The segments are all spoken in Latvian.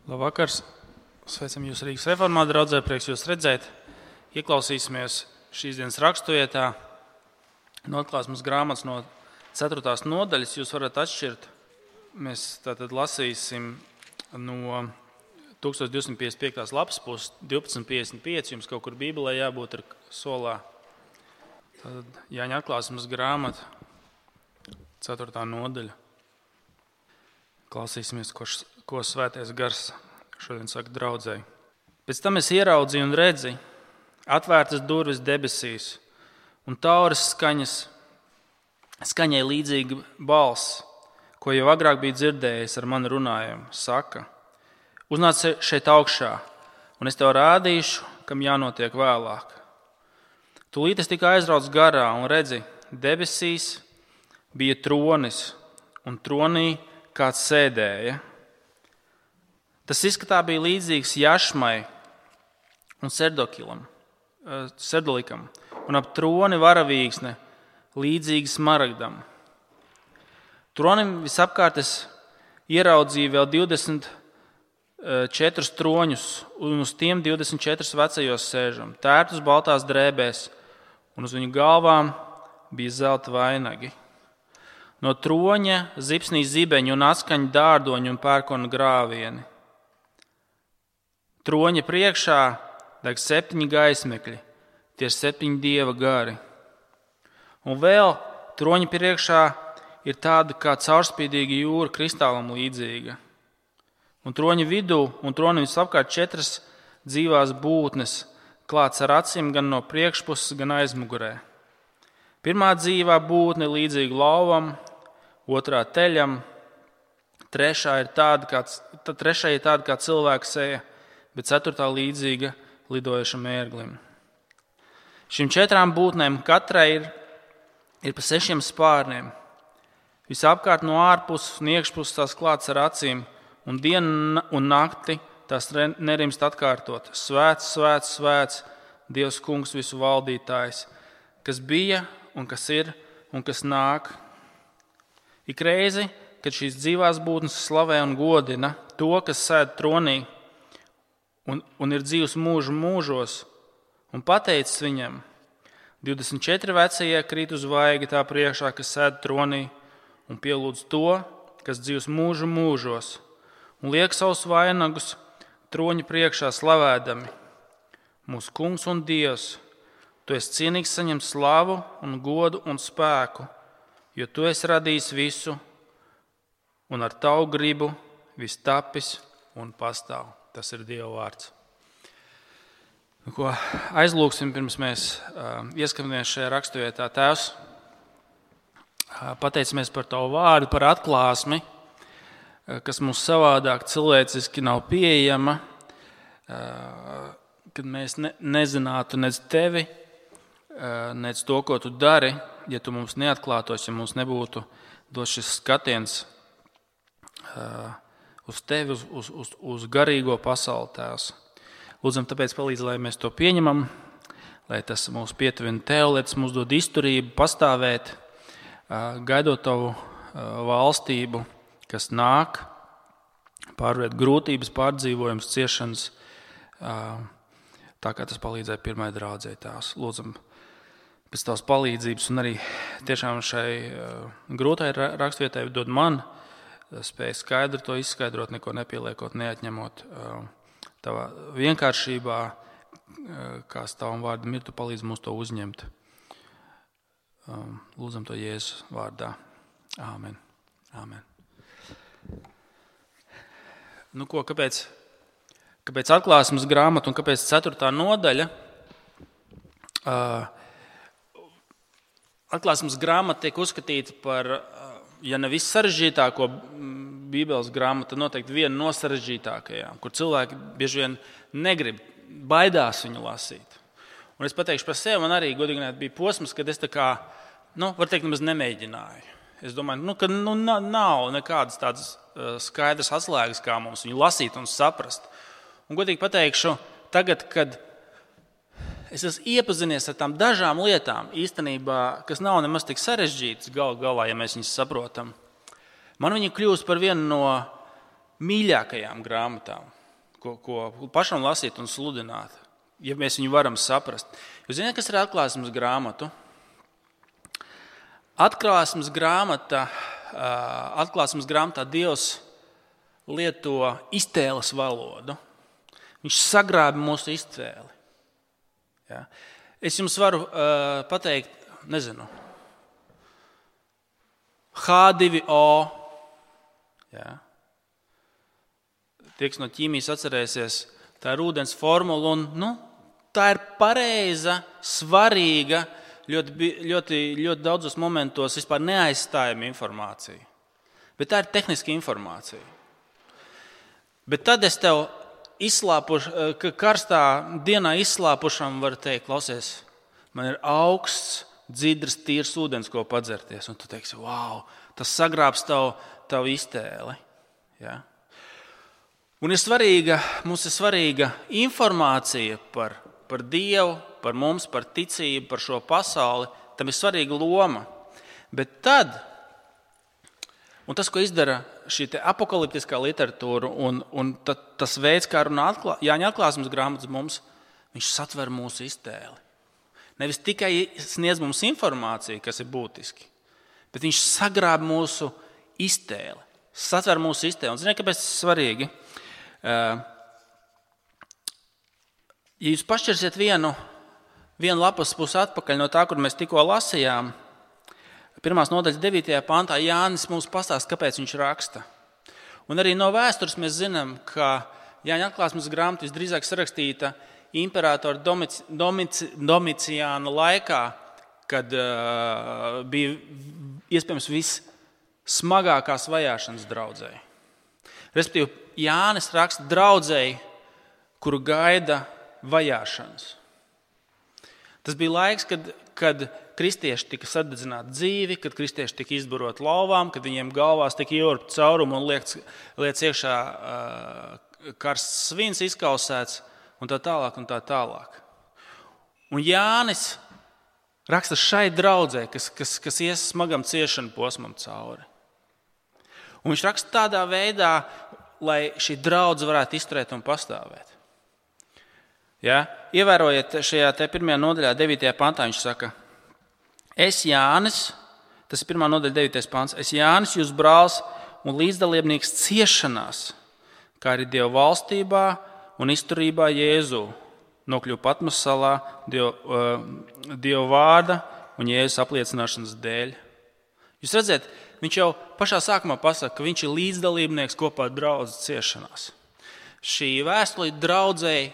Labvakar! Sveicam jūs Rīgas reformātu draudzē, prieks jūs redzēt. Ieklausīsimies šīs dienas raksturvietā no Atklāsmes grāmatas no 4. nodaļas. Jūs varat atšķirt. Mēs tātad lasīsim no 1255. lapas puses, 1255. Jums kaut kur Bībelē jābūt ar solā. Tātad Jāņa Atklāsmes grāmata, 4. nodaļa. Klausīsimies, ko Svētais Gars šodien saka draudzēji. Pēc tam es ieraudzīju un redzi, atvērtas durvis debesīs, un tauras skaņai līdzīga balss, ko jau agrāk bija dzirdējis ar mani runājumu, saka: uznāc šeit augšā, un es tev rādīšu, kam jānotiek vēlāk. Tūlīt es tikai aizraucu garā un redzi, debesīs bija tronis, un tronī kāds sēdēja. Tas izskatā bija līdzīgs jašmai un serdolikam, un ap troni varavīksne līdzīga smaragdam. Tronim visapkārt es ieraudzīju vēl 24 troņus, un uz tiem 24 vecajos sēžam, tērptus baltās drēbēs, un uz viņu galvām bija zelta vainagi. No troņa zipsnīs zibeņi un atskaņa dārdoņi un pērkona grāvieni. Troņa priekšā deg 7 gaismekļi, tie ir 7 dieva gari. Un vēl troņa priekšā ir tāda kā caurspīdīga jūra, kristālam līdzīga. Un troņa vidū un tronim visapkārt 4 dzīvās būtnes, klāts ar acīm gan no priekšpuses, gan aizmugurē. Pirmā dzīvā būtne līdzīga lauvam, otrā teļam, trešā ir tāda kā cilvēka seja, bet 4. līdzīga lidojošam ērglim. Šīm 4 būtnēm katrai ir pa 6 spārniem. Visapkārt no ārpuses un iekšpuses tās klāts ar acīm, un dienu un nakti tās nerimst atkārtot. Svēts, svēts, svēts, Dievs kungs visu valdītājs, kas bija un kas ir un kas nāk. Ik reizi, kad šīs dzīvās būtnes slavē un godina to, kas sēd tronī un ir dzīvs mūžu mūžos, un pateicis viņam, 24 vecie krīt uz vaigi tā priekšā, kas sēd tronī, un pielūdz to, kas dzīvs mūžu mūžos, un liek savus vainagus troņa priekšā slavēdami. Mūsu kungs un Dievs, tu esi cienīgs saņemt slavu un godu un spēku, jo tu esi radījis visu, un ar tavu gribu viss tapis un pastāv. Tas ir Dieva vārds. Ko aizlūksim, pirms mēs ieskatāmies šajā raksturvietā. Tēvs, pateicamies par tavu vārdu, par atklāsmi, kas mums savādāk cilvēciski nav pieejama, kad mēs nezinātu nec tevi, nec to, ko tu dari, ja tu mums neatklātos, ja mums nebūtu dots šis skatiens uz tevi, uz garīgo pasauli, Tēvs. Lūdzam, tāpēc palīdz, lai mēs to pieņemam, lai tas mūs pietuvina tev, lai tas mums dod izturību, pastāvēt, gaidot tavu valstību, kas nāk, pārvērt grūtības, pārdzīvojums, ciešanas, tā kā tas palīdzēja pirmai draudzei, Tēvs. Lūdzam, pēc tavas palīdzības un arī tiešām šai grūtai raksturvietai dod man spēju skaidri to izskaidrot, neko nepieliekot, neatņemot tavā vienkāršībā, kā tavam vārdam ir, tu palīdz mums to uzņemt. Lūdzam to Jēzus vārdā. Āmen. Āmen. Nu ko, kāpēc Atklāsmes grāmata un kāpēc 4. nodaļa? Atklāsmes grāmata tiek uzskatīta par, ja ne vissarežģītāko Bībeles grāmatu, noteikti viena no sarežģītākajām, kur cilvēki bieži vien negrib, baidās viņu lasīt. Un es pateikšu par sevi, man arī godīgi bija posms, kad es tā kā, var teikt, nemaz nemēģināju. Es domāju, ka nav nekādas tādas skaidras atslēgas, kā mums viņu lasīt un saprast. Un godīgi pateikšu, tagad, kad es esmu iepazinies ar tām dažām lietām, īstenībā, kas nav nemaz tik sarežģītas galā, ja mēs viņus saprotam, man viņa kļūst par vienu no mīļākajām grāmatām. ko pašam lasīt un sludināt, ja mēs viņu varam saprast. Jūs zināt, kas ir atklāsmes grāmatu? Atklāsmes grāmatā Dievs lieto iztēles valodu. Viņš sagrāba mūsu iztēli. Ja? Es jums varu pateikt, H2O. Ja? Tie, kas no ķīmijas atcerēsies, tā ir ūdens formula, un tā ir pareiza, svarīga, ļoti daudzos momentos vispār neaizstājama informācija. Bet tā ir tehniska informācija. Bet tad es tev karstā dienā izslāpušam varu teikt, klausies, man ir augsts, dzidrs, tīrs ūdens, ko padzerties. Un tu teiksi, wow, tas sagrābs tavu iztēli. Ja? Un mums ir svarīga informācija par Dievu, par mums, par ticību, par šo pasauli. Tam ir svarīga loma. Bet tad, un tas, ko izdara šī apokaliptiskā literatūra un tas veids, kā runā Jāņa atklāsmes grāmatas mums, viņš satver mūsu iztēli. Nevis tikai sniedz mums informāciju, kas ir būtiski, bet viņš sagrāb mūsu iztēli, satver mūsu iztēli. Un ziniet, kāpēc tas ir svarīgi? Ja jūs pašķirsiet vienu lapas pusi atpakaļ no tā, kur mēs tikko lasījām, 1. nodaļas 9. pantā Jānis mums pastāsta, kāpēc viņš raksta. Un arī no vēstures mēs zinām, ka Jāņa atklāsmes grāmata visdrīzāk sarakstīta imperatora Domiciāna laikā, kad bija iespējams vissmagākās vajāšanas draudzei. Respektīvi, Jānis raksta draudzei, kuru gaida vajāšanas. Tas bija laiks, kad kristieši tika sadedzināti dzīvi, kad kristieši tika izbaroti lauvām, kad viņiem galvās tika ieurbt caurumu un liec iekšā karsts svins izkausēts un tā tālāk un tā tālāk. Un Jānis raksta šai draudzē, kas ies smagam ciešanu posmam cauri. Un viņš raksta tādā veidā, lai šī draudze varētu izturēt un pastāvēt. Ja? Ievērojiet šajā 1. nodaļā 9. pantā, viņš saka, es Jānis, tas ir 1. nodaļa 9. pants, es Jānis, jūs brālis un līdzdalībnieks ciešanās, kā arī Dieva valstībā un izturībā Jēzu, nokļuva Patmos salā Dieva vārda un Jēzus apliecināšanas dēļ. Jūs redzat, viņš jau pašā sākumā pasaka, ka viņš ir līdzdalībnieks kopā ar draudzes ciešanās. Šī vēstule draudzei,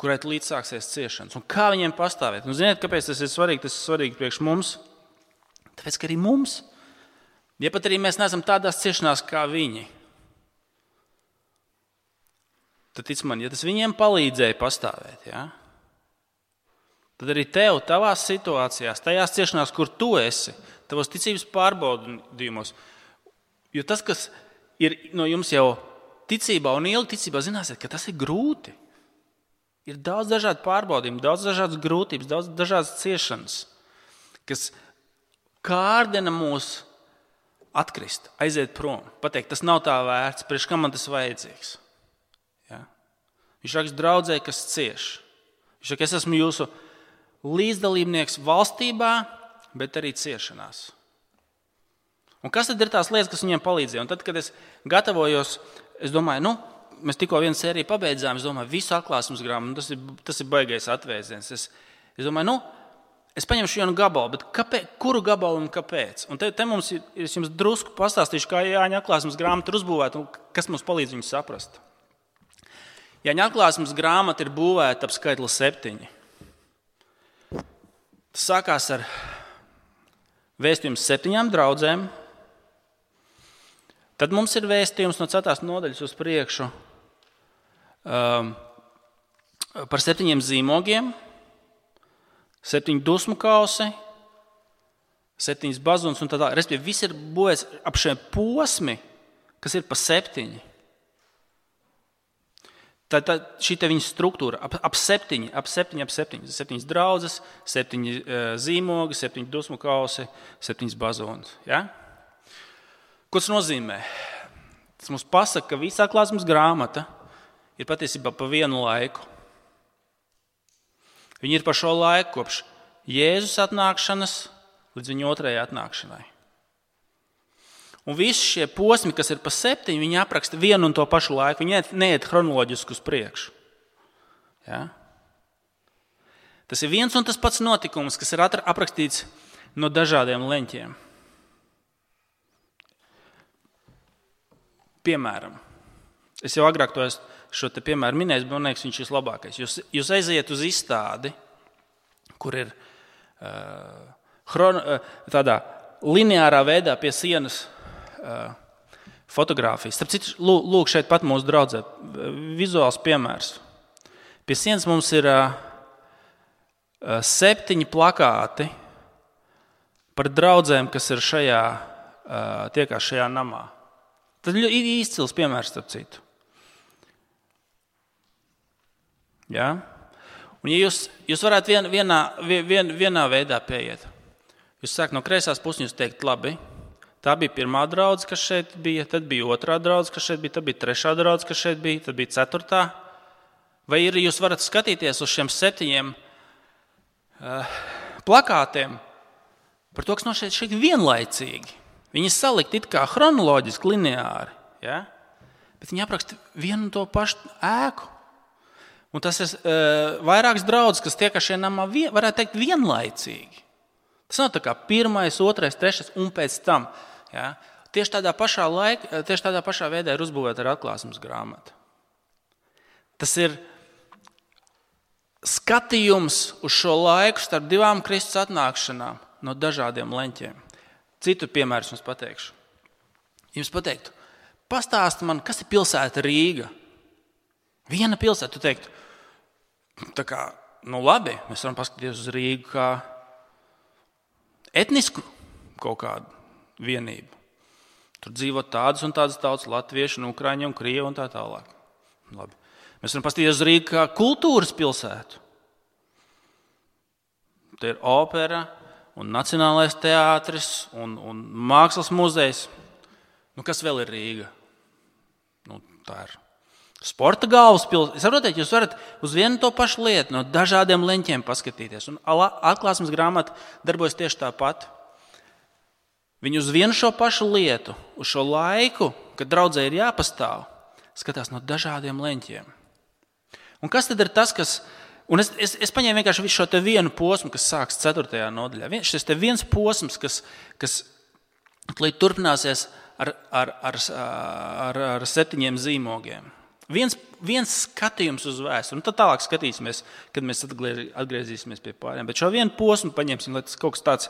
kurai līdz sāksies ciešanas. Un kā viņiem pastāvēt? Un ziniet, kāpēc tas ir svarīgi? Tas ir svarīgi priekš mums. Tāpēc, ka arī mums, ja pat arī mēs neesam tādās ciešanās kā viņi, tad tic man, ja tas viņiem palīdzēja pastāvēt, ja? Tad arī tev, tavās situācijās, tajās ciešanās, kur tu esi, tavos ticības pārbaudījumos, jo tas, kas ir no jums jau ticībā un ilgi ticībā, zināsiet, ka tas ir grūti. Ir daudz dažādu pārbaudījumu, daudz dažādas grūtības, daudz dažādas ciešanas, kas kārdina mūs atkrist, aiziet prom, pateikt, tas nav tā vērts, priekš kam man tas vajadzīgs. Ja? Viņš raksta draudzē, kas cieš. Viņš saka, es esmu jūsu līdzdalībnieks valstībā, bet arī ciešanās. Un kas tad ir tās lietas, kas viņiem palīdzēja? Un tad, kad es gatavojos, es domāju, mēs tikko vienu sēriju pabeidzām, es domāju, visu atklāsmes grāmatu, tas ir baigais atvēziens. Es domāju, es paņemšu vienu gabalu, bet kuru gabalu un kāpēc? Un te mums es jums drusku pastāstīšu, kā Jāņa atklāsmes grāmata ir uzbūvēta un kas mums palīdz viņu saprast. Jāņa atklāsmes grāmata ir būvēta ap skaitli 7. Tas sākās ar vēstījums 7 draudzēm. Tad mums ir vēstījums no 4. nodaļas uz priekšu par 7 zīmogiem, 7 dusmu kausi, 7 bazunas un tā tālāk. Respektīvi, viss ir būvēts ap šiem posmi, kas ir pa 7. Šī te viņa struktūra ap 7, 7 draudzes, 7 zīmogi, 7 dusmu kausi, 7 bazunas. Ja? Ko tas nozīmē? Tas mums pasaka, ka visa atklāsmes grāmata ir patiesībā pa vienu laiku. Viņi ir par šo laiku kopš Jēzus atnākšanas līdz viņa otrajai atnākšanai. Un visi šie posmi, kas ir pa 7, viņi apraksta vienu un to pašu laiku. Viņi neiet chronoloģiski uz priekšu. Ja? Tas ir viens un tas pats notikums, kas ir aprakstīts no dažādiem leņķiem. Piemēram, es jau agrāk šo te piemēru minēju, bet man liekas, viņš ir labākais. Jūs aiziet uz izstādi, kur ir tādā lineārā veidā pie sienas fotogrāfijas. Starp citu, lūk, šeit pat mūsu draudzē vizuāls piemērs. Pie sienas mums ir 7 plakāti par draudzēm, kas ir tiekās šajā namā. Tas ir izcils piemērs, starp citu. Ja? Un ja jūs varētu vienā veidā pieiet, jūs sākat no kreisās puses, jūs teikt, labi, tā bija pirmā draudze, kas šeit bija, tad bija otrā draudze, kas šeit bija, tad bija trešā draudze, kas šeit bija, tad bija ceturtā. Vai jūs varat skatīties uz šiem 7 plakātiem par to, kas no šeit vienlaicīgi. Viņi salikt it kā chronoloģiski, lineāri, ja? Bet viņi apraksta vienu un to pašu ēku. Un tas ir vairākas draudzes, kas tiek šajā namā, varētu teikt, vienlaicīgi. Tas nav tā kā 1., 2., 3. un pēc tam. Ja? Tieši tādā pašā veidā ir uzbūvēta ar atklāsmes grāmatu. Tas ir skatījums uz šo laiku starp 2 Kristus atnākšanām no dažādiem leņķiem. Citu piemēru jums pateikšu. Jums pateiktu, pastāsti man, kas ir pilsēta Rīga? Viena pilsēta, tu teiktu, tā kā, labi, mēs varam paskatīties uz Rīgu kā etnisku kaut kādu vienību. Tur dzīvo tādas un tādas tautas, latvieši, un ukraiņi un krievi un tā tālāk. Labi. Mēs varam paskatīties uz Rīgu kā kultūras pilsētu. Te ir opera un Nacionālais teātris un mākslas muzejs. Kas vēl ir Rīga? Tā ir sporta galvaspilsēta. Saprotiet, jūs varat uz vienu to pašu lietu no dažādiem leņķiem paskatīties. Un atklāsmes grāmata darbojas tieši tāpat. Viņi uz vienu šo pašu lietu, uz šo laiku, kad draudzē ir jāpastāv, skatās no dažādiem leņķiem. Un kas tad ir tas, kas... Un es paņēmu vienkārši visu šo te vienu posmu, kas sāks 4. nodaļā. Šis te viens posms, kas turpināsies ar 7 zīmogiem. Viens skatījums uz vēsturi. Un tad tālāk skatīsimies, kad mēs atgriezīsimies pie pārējiem. Bet šo vienu posmu paņemsim, lai tas kaut kas tāds,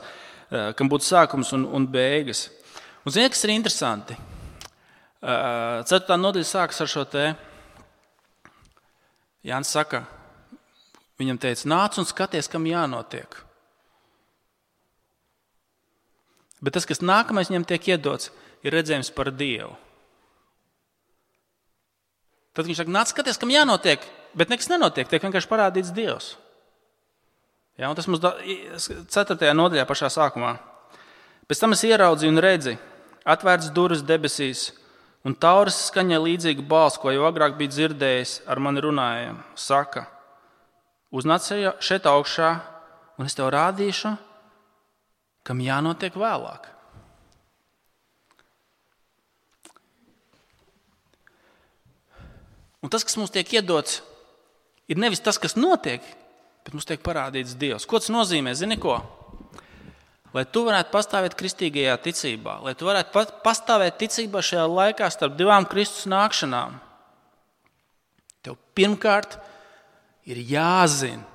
kam būtu sākums un beigas. Un ziniet, kas ir interesanti? 4. nodaļa sākas ar šo te. Jānis saka, viņam teica, nāc un skaties, kam jānotiek. Bet tas, kas nākamais viņam tiek iedots, ir redzējums par Dievu. Tad viņš saka, nāc skaties, kam jānotiek, bet nekas nenotiek, tiek vienkārši parādīts Dievs. Ja, un tas mums 4. nodaļā pašā sākumā. Pēc tam es ieraudzīju un redzi, atvērts durvis debesīs, un tauras skaņai līdzīga balss, ko jau agrāk bija dzirdējis, ar mani runājām, saka, uznāc šeit augšā, un es tev rādīšu, kam jānotiek vēlāk. Un tas, kas mums tiek iedots, ir nevis tas, kas notiek, bet mums tiek parādīts Dievs. Ko tas nozīmē? Zini ko? Lai tu varētu pastāvēt kristīgajā ticībā, lai tu varētu pastāvēt ticībā šajā laikā starp 2 Kristus nākšanām, tev pirmkārt ir jāzina,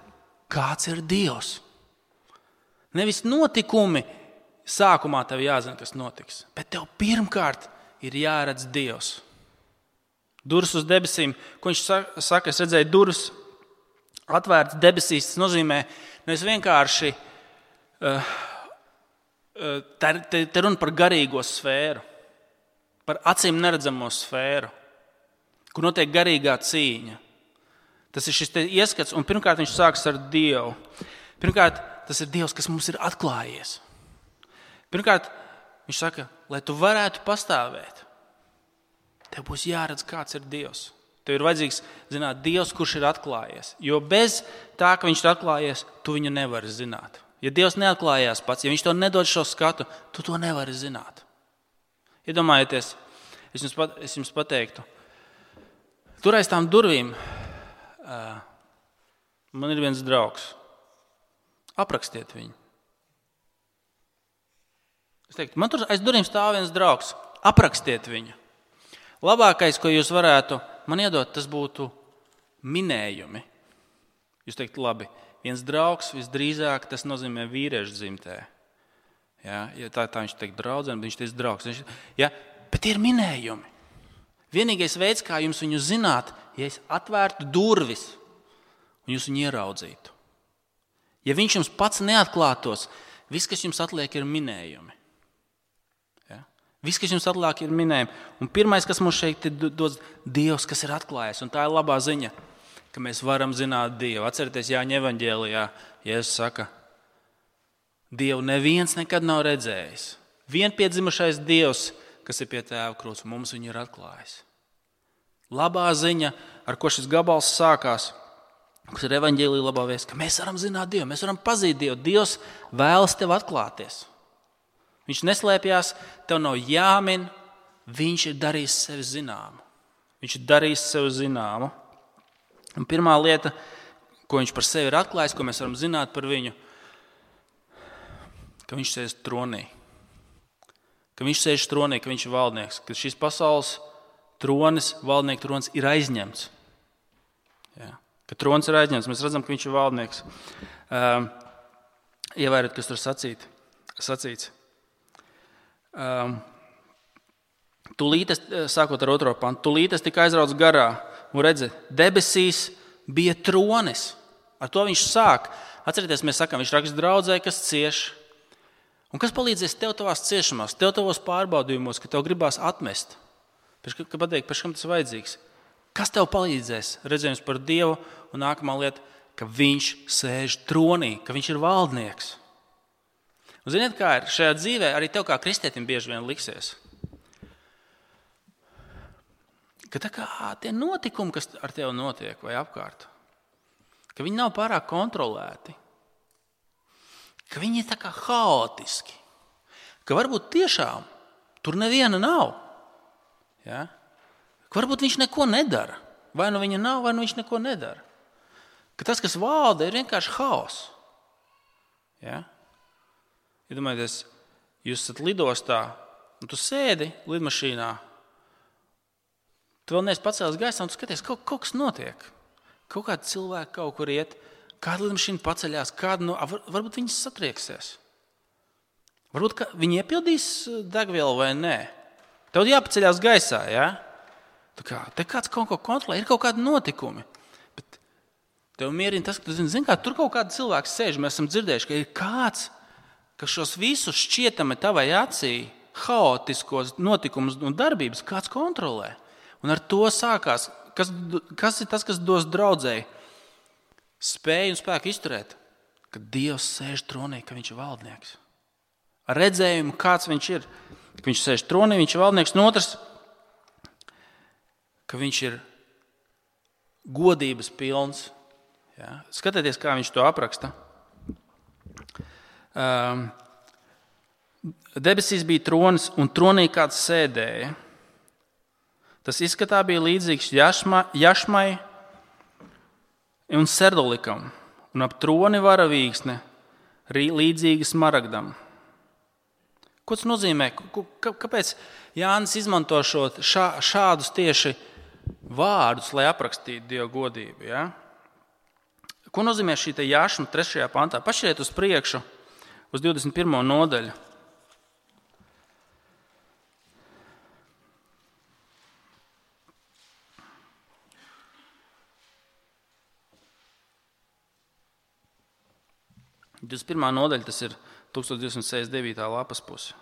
kāds ir Dievs. Nevis notikumi sākumā tev jāzina, kas notiks, bet tev pirmkārt ir jāredz Dievs. Durvis uz debesīm, ko viņš saka, es redzēju durvis atvērtas debesīs, tas nozīmē nevis vienkārši, te runa par garīgo sfēru, par acīm neredzamo sfēru, kur notiek garīgā cīņa. Tas ir šis ieskats, un pirmkārt viņš sākas ar Dievu. Pirmkārt, tas ir Dievs, kas mums ir atklājies. Pirmkārt, viņš saka, lai tu varētu pastāvēt, tev būs jāredz, kāds ir Dievs. Tev ir vajadzīgs zināt Dievs, kurš ir atklājies. Jo bez tā, ka viņš ir atklājies, tu viņu nevari zināt. Ja Dievs neatklājās pats, ja viņš to nedod šo skatu, tu to nevari zināt. Iedomājieties, es jums pateiktu, tur aiz tām durvīm man ir viens draugs. Aprakstiet viņu. Es teiktu, man tur aiz durvīm stāv viens draugs. Aprakstiet viņu. Labākais, ko jūs varētu man iedot, tas būtu minējumi. Jūs teikt, labi, viens draugs visdrīzāk tas nozīmē vīriešu dzimtē. Ja tā viņš teikt draudzene, bet viņš teiks draugs. Ja, bet ir minējumi. Vienīgais veids, kā jums viņu zināt, ja es atvērtu durvis un jūs viņu ieraudzītu. Ja viņš jums pats neatklātos, viss, kas jums atliek, ir minējumi. Ja? Viss, kas jums atliek, ir minējumi. Un pirmais, kas mums šeit ir dots, Dievs, kas ir atklājies. Un tā ir labā ziņa, ka mēs varam zināt Dievu. Atcerieties, Jāņa evaņģēlijā, Jēzus saka, Dievu neviens nekad nav redzējis. Vienpiedzimušais Dievs, kas ir pie tēva krūts, mums viņu ir atklājis. Labā ziņa, ar ko šis gabals sākās, kas ir evaņģēlija labā vēsts, ka mēs varam zināt Dievu, mēs varam pazīt Dievu. Dievs vēlas tev atklāties. Viņš neslēpjās, tev nav jāmin, viņš ir darījis sevi zināmu. Viņš ir darījis sevi zināmu. Un pirmā lieta, ko viņš par sevi ir atklājis, ko mēs varam zināt par viņu, ka viņš sēž tronī. Ka viņš sēž tronī, ka viņš ir valdnieks, ka šis pasaules tronis, valdnieku tronis ir aizņemts. Jā. Ka trons ir aizņemts, mēs redzam, ka viņš ir valdnieks. Ievēriet, kas tur sacīts. Tūlītes, sākot ar 2. pantu, tūlītes tika aizrauts garā, un redzi, debesīs bija tronis. Ar to viņš sāk. Atcerieties, mēs sakām, viņš raksta draudzē, kas cieš. Un kas palīdzēs tev tavās ciešanās, tev tavos pārbaudījumos, ka tev gribās atmest? Ka pateikt, pēc kam tas vajadzīgs? Kas tev palīdzēs? Redzējums par Dievu un nākamā lieta, ka viņš sēž tronī, ka viņš ir valdnieks. Un ziniet, kā ir? Šajā dzīvē arī tev kā kristietim bieži vien liksies. Ka tā kā tie notikumi, kas ar tevi notiek vai apkārt, ka viņi nav pārāk kontrolēti, ka viņi ir tā kā haotiski, ka varbūt tiešām tur neviena nav. Ja? Varbūt viņš neko nedara. Vai nu viņa nav, vai nu viņš neko nedara. Ka tas, kas valda, ir vienkārši haoss. Ja? Iedomājieties, jūs esat lidostā, un tu sēdi lidmašīnā, tu vēl neesi pacēlis gaisā, un tu skaties, kaut kas notiek. Kaut kādi cilvēki kaut kur iet, kāda lidmašīna paceļās, varbūt viņas satrieksies. Varbūt viņi iepildīs degvielu vai nē. Tev jāpaceļās gaisā, ja? Te kāds kaut ko kontrolē, ir kaut kādi notikumi. Bet tev mierina tas, ka tu zini, kā tur kaut kādi cilvēki sēž. Mēs esam dzirdējuši, ka ir kāds, kas šos visus šķietami tavai acī haotiskos notikumus un darbības kāds kontrolē. Un ar to sākās. Kas ir tas, kas dos draudzēji spēju un spēku izturēt? Ka Dievs sēž tronī, ka viņš ir valdnieks. Ar redzējumu, kāds viņš ir. Ka viņš sēž tronī, viņš ir valdnieks. Un otrs, ka viņš ir godības pilns. Ja? Skatieties, kā viņš to apraksta. Debesīs bija tronis, un tronī kāds sēdēja. Tas izskatā bija līdzīgs jašmai un serdolikam, un ap troni varavīksne līdzīga smaragdam. Ko tas nozīmē? Kāpēc Jānis izmanto šādus tieši vārdus, lai aprakstītu Dieva godību? Ja? Ko nozīmē šī jašma 3. pantā? Pašķiriet uz priekšu, uz 21. nodaļu. Pirmā nodaļa, tas ir 1269. lapas puse.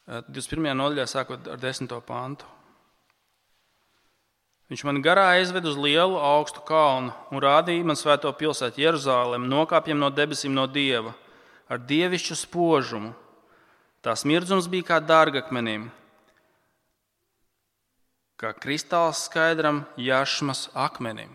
Tad 21. nodaļā sākot ar 10. pantu. Viņš man garā aizved uz lielu augstu kalnu un rādīja man svēto pilsētu Jeruzalemi, nokāpjam no debesīm no Dieva, ar dievišķu spožumu. Tā smirdzums bija kā dārgakmenim, kā kristāls skaidram jašmas akmenim.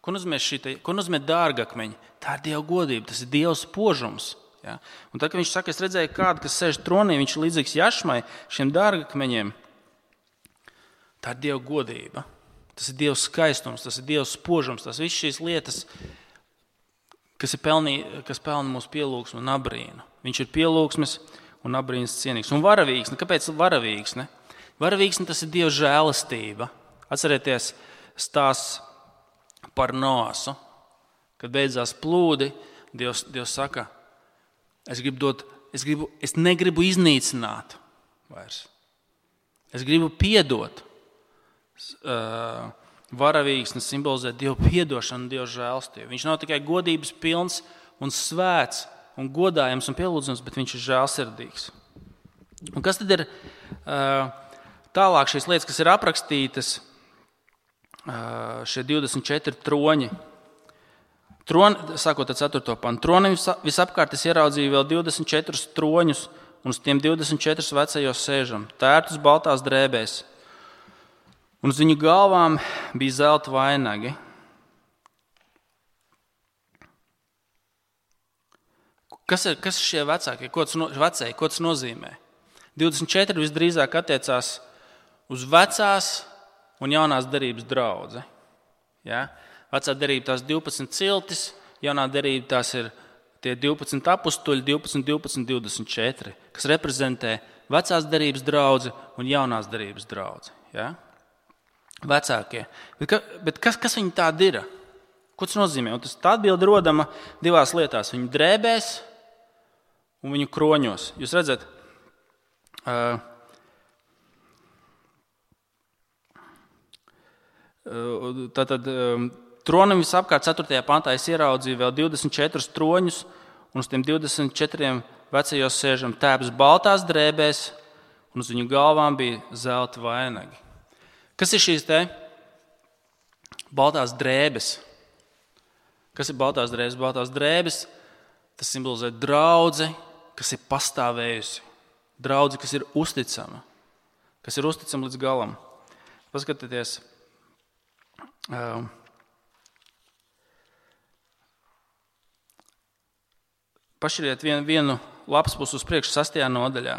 Ko nozīmē dārgakmeņi? Tā ir Dieva godība, tas ir Dieva spožums. Ja? Un tad, kad viņš saka, es redzēju kādu, kas sēž tronī, viņš ir līdzīgs jašmai, šiem dārgakmeņiem. Tā ir Dieva godība, tas ir Dieva skaistums, tas ir Dieva spožums, tas viss šīs lietas, kas pelna mūsu pielūgsmu un abrīnu. Viņš ir pielūgsmes un abrīnas cienīgs. Un varavīksne, kāpēc varavīksne? Varavīksne tas ir Dieva žēlastība. Atcerieties stāsts par Noasu, kad beidzās plūdi, Dievs saka, es negribu iznīcināt vairs. Es gribu piedot. Varavīksne simbolizē Dievu piedošanu un Dievu žēlastību. Viņš nav tikai godības pilns un svēts un godājams un pielūdzams, bet viņš ir žēlsirdīgs. Un kas tad ir tālāk šīs lietas, kas ir aprakstītas, šie 24 troņi? Sākot ar 4. pantu. Tronim visapkārt es ieraudzīju vēl 24 troņus, un uz tiem 24 vecajos sēžam, tērtus baltās drēbēs. Un uz viņu galvām bija zelta vainagi. Kas ir šie vecākie? Ko tas nozīmē? 24 visdrīzāk attiecās uz vecās un jaunās derības draudzi. Ja? Vecā derība tās 12 ciltis, jaunā derība tās ir tie 12 apustuļi, 12, 12, 24, kas reprezentē vecās derības draudzi un jaunās derības draudzi. Ja? Vecākie. Bet kas viņi tādi ir? Ko tas nozīmē? Un tā atbilde rodama divās lietās. Viņu drēbēs un viņu kroņos. Jūs redzat, tātad tronam visapkārt 4. pantā es ieraudzīju vēl 24 troņus, un uz tiem 24 vecajos sēžam tēps baltās drēbēs, un uz viņu galvām bija zelta vainagi. Kas ir šīs te baltās drēbes? Kas ir baltās drēbes? Baltās drēbes, tas simbolizē draudzi, kas ir pastāvējusi. Draudzi, kas ir uzticama. Kas ir uzticama līdz galam. Paskatieties. Pašķiriet vienu lapas pusi uz priekšu 6. nodaļā.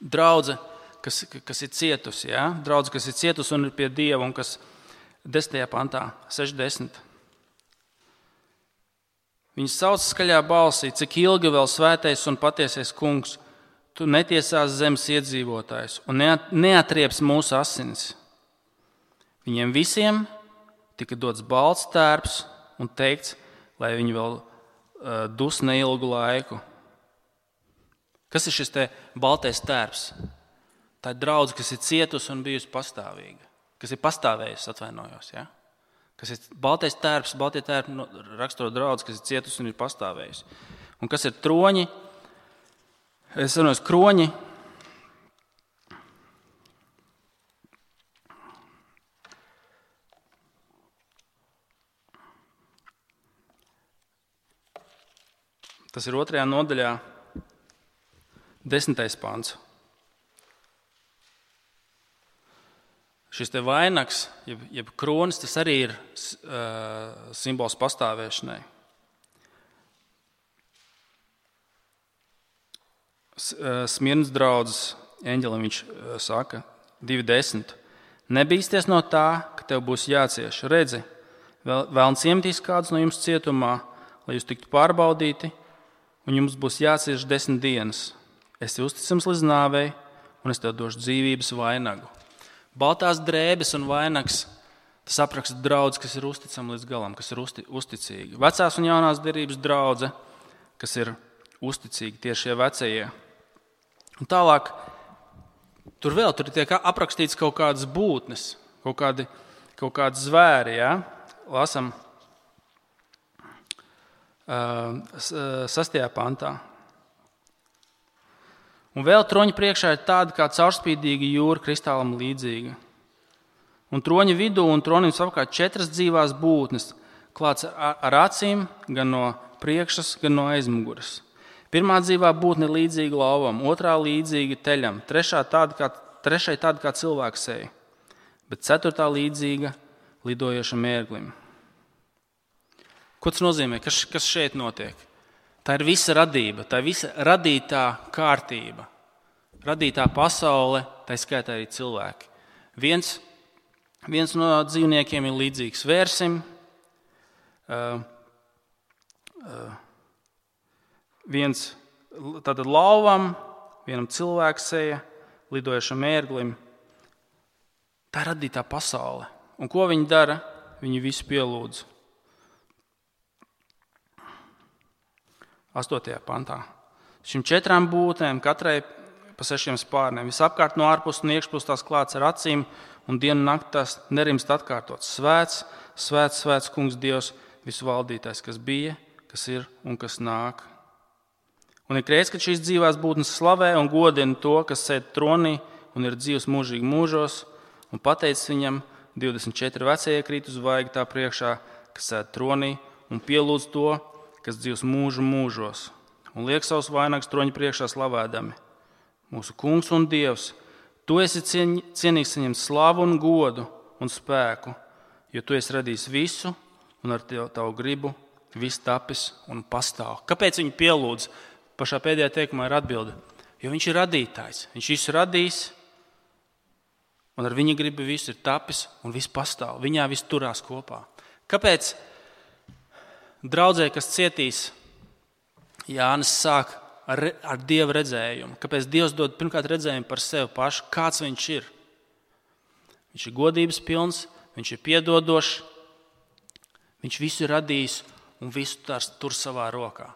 Draudze, kas ir cietusi, ja? Draudze, kas ir cietusi un ir pie Dieva, un kas 10. pantā, 60. Viņš sauc skaļā balsī, cik ilgi vēl svētais un patiesais kungs, tu netiesās zemes iedzīvotājus un neatrieps mūsu asinis. Viņiem visiem tika dots balts tērps un teikts, lai viņi vēl dus neilgu laiku. Kas ir šis te baltais tērps? Tā ir draudze, kas ir cietusi un bijusi pastāvīga. Kas ir pastāvējusi, atvainojos. Ja? Kas ir baltais tērps, baltie tērpi raksturo draudzi, kas ir cietusi un ir pastāvējusi. Un kas ir troņi? Es runāju, kroņi. Tas ir 2. nodaļā, 10. pants. Šis te vainags, jeb kronis, tas arī ir simbols pastāvēšanai. Smirnas draudzes eņģelim viņš saka 2.10. Nebīsties no tā, ka tev būs jācieš. Redzi, vēlns iemetīs kādus no jums cietumā, lai jūs tiktu pārbaudīti, un jums būs jācieš 10 dienas. Esi uzticams līdz nāvei, un es tev došu dzīvības vainagu. Baltās drēbes un vainags, tas apraksta draudzi, kas ir uzticama līdz galam, kas ir uzticīga. Vecās un jaunās derības draudze, kas ir uzticīga, tieši šie vecie. Un tālāk, tur tiek aprakstīts kaut kādas būtnes, kaut kādi zvēri, ja? Lasam 6. pantā. Un vēl troņa priekšā ir tāda kā caurspīdīga jūra, kristālam līdzīga. Un troņa vidū un tronim apkārt 4 dzīvās būtnes, klāts ar acīm, gan no priekšas, gan no aizmuguras. Pirmā dzīvā būtne līdzīga lauvam, otrā līdzīga teļam, trešai tāda kā cilvēka seja, bet ceturtā līdzīga lidojošam ērglim. Ko tas nozīmē? Kas šeit notiek? Tā ir visa radība, tā ir visa radītā kārtība, radītā pasaule, tā skaitā arī cilvēki. Viens no dzīvniekiem ir līdzīgs vērsim, viens tātad lauvam, vienam cilvēka seja, lidojošam ērglim. Tā ir radītā pasaule. Un ko viņi dara? Viņi visu pielūdz. 8. pantā. Šim 4 būtnēm, katrai pa 6 spārniem, visapkārt no ārpus un iekšpus tās klāts ar acīm, un dienu nakti tās nerimst atkārtots. Svēts, svēts, svēts kungs Dievs, visu valdītājs, kas bija, kas ir un kas nāk. Un ir reiz, kad šīs dzīvās būtnes slavē un godina to, kas sēd tronī un ir dzīvs mūžīgi mūžos, un pateicis viņam, 24 vecie krīt uz vaigu tā priekšā, kas sēd tronī, un pielūdz to, kas dzīvs mūžu mūžos, un liek savus vainagus troņa priekšā slavēdami. Mūsu kungs un Dievs, tu esi cienīgs saņemt slavu un godu un spēku, jo tu esi radījis visu, un ar tavu gribu viss tapis un pastāv. Kāpēc viņi pielūdz? Pašā pēdējā teikumā ir atbilde. Jo viņš ir radītājs, viņš visu radījis, un ar viņa gribu viss ir tapis un viss pastāv. Viņā viss turās kopā. Kāpēc draudzē, kas cietīs, Jānis sāk ar Dieva redzējumu? Kāpēc Dievs dod pirmkārt redzējumu par sevi pašu? Kāds viņš ir? Viņš ir godības pilns, viņš ir piedodošs, viņš visu ir radījis un visu tur savā rokā.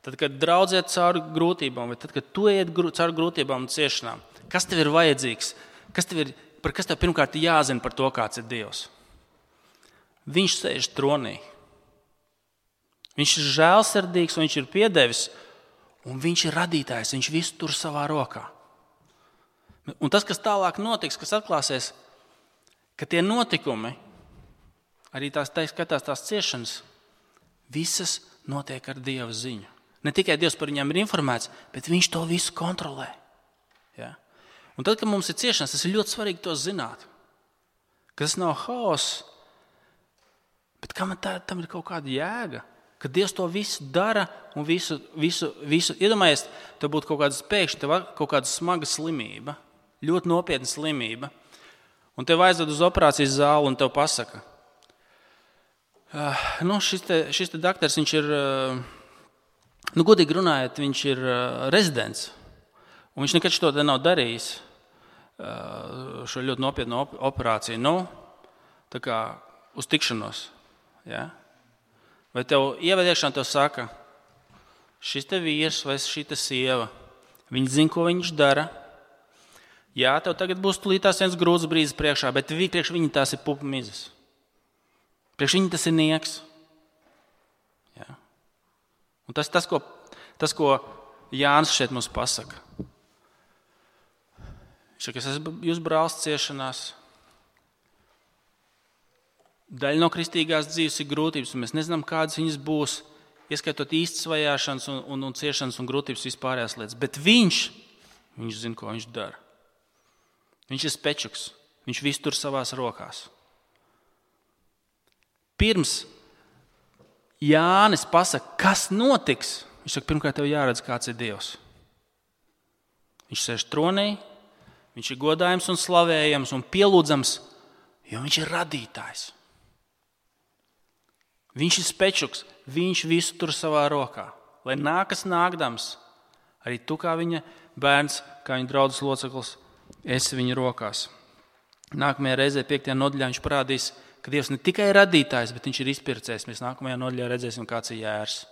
Tad, kad draudzē cauri grūtībām, vai tad, kad tu iet cauri grūtībām un ciešanām, kas tev ir vajadzīgs? Kas tev pirmkārt jāzina par to, kāds ir Dievs? Viņš sēž tronī. Viņš ir žēlsirdīgs, viņš ir piedevis, un viņš ir radītājs, viņš visu tur savā rokā. Un tas, kas tālāk notiks, kas atklāsies, ka tie notikumi, arī tās ciešanas, visas notiek ar Dieva ziņu. Ne tikai Dievs par viņām ir informēts, bet viņš to visu kontrolē. Ja? Un tad, kad mums ir ciešanas, tas ir ļoti svarīgi to zināt. Ka tas nav haoss, bet tam ir kaut kāda jēga. Ka Dievs to visu dara un visu. Iedomājies, tev būtu kaut kāda pēkšņa, kaut kāda smaga slimība, ļoti nopietna slimība, un tev aizved uz operācijas zāli un tev pasaka, šis te daktars, viņš ir, godīgi runājot, viņš ir rezidents, un viņš nekad šo te nav darījis, šo ļoti nopietnu operāciju, tā kā uz tikšanos, ja? Vai tev ievadiekšanā tev saka, šis te vīrs vai šī te sieva, viņi zina, ko viņš dara. Jā, tev tagad būs tulītās viens grūts brīdis priekšā, bet priekš viņi tās ir pupa mizas. Priekš viņi tas ir nieks. Jā. Un tas, ko Jānis šeit mums pasaka. Viņš saka, es esmu jūs brālis ciešanās. Daļa no kristīgās dzīves ir grūtības, un mēs nezinām, kādas viņas būs, ieskaitot īstas vajāšanas un ciešanas un grūtības vispārējās lietas. Bet viņš zina, ko viņš dara. Viņš ir spečuks, viņš visu tur savās rokās. Pirms Jānis pasaka, kas notiks, viņš saka, pirmkārt tev jāredz, kāds ir Dievs. Viņš sēž tronī, viņš ir godājams un slavējams un pielūdzams, jo viņš ir radītājs. Viņš ir spečuks, viņš visu tur savā rokā. Lai nākas nākdams, arī tu kā viņa bērns, kā viņa draudzes loceklis, esi viņa rokās. Nākamajā reizē 5. nodaļā viņš parādīs, ka Dievs ne tikai ir radītājs, bet viņš ir izpircējs. Mēs nākamajā nodaļā redzēsim, kāds ir jērs.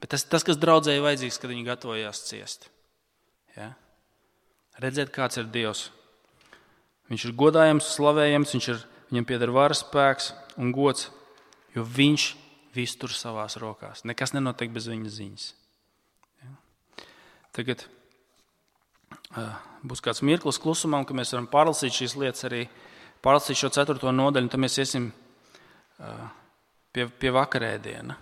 Bet tas, kas draudzēji vajadzīgs, kad viņi gatavojās ciest. Ja? Redzēt, kāds ir Dievs. Viņš ir godājams, slavējams, viņam pieder varas spēks un gods, jo viņš visu tur savās rokās. Nekas nenotiek bez viņa ziņas. Ja? Tagad būs kāds mirklis klusumam, ka mēs varam pārlasīt šīs lietas, arī pārlasīt šo 4. nodaļu, un tad mēs iesim pie vakarēdiena.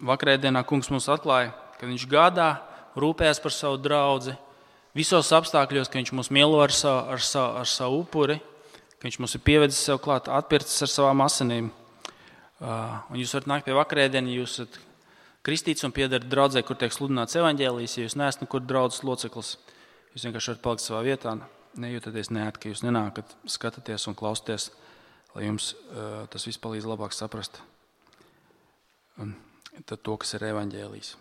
vakarēdienā kungs mums atklāja, ka viņš gādā, rūpējas par savu draudzi, visos apstākļos, ka viņš mūs mielo ar savu upuri, ka viņš mums ir pievedis sev klāt, atpircis ar savām asinīm. Un jūs varat nākt pie vakarēdiena, ja jūs esat kristīts un piedarat draudzē, kur tiek sludināts evaņģēlijs, ja jūs neesat nekur draudzes loceklis, jūs vienkārši varat palikt savā vietā, nejūtaties neēti, ka jūs nenākat, skatāties un klausties, lai jums tas viss palīdz labāk saprast tad to, kas ir evaņģēlijs.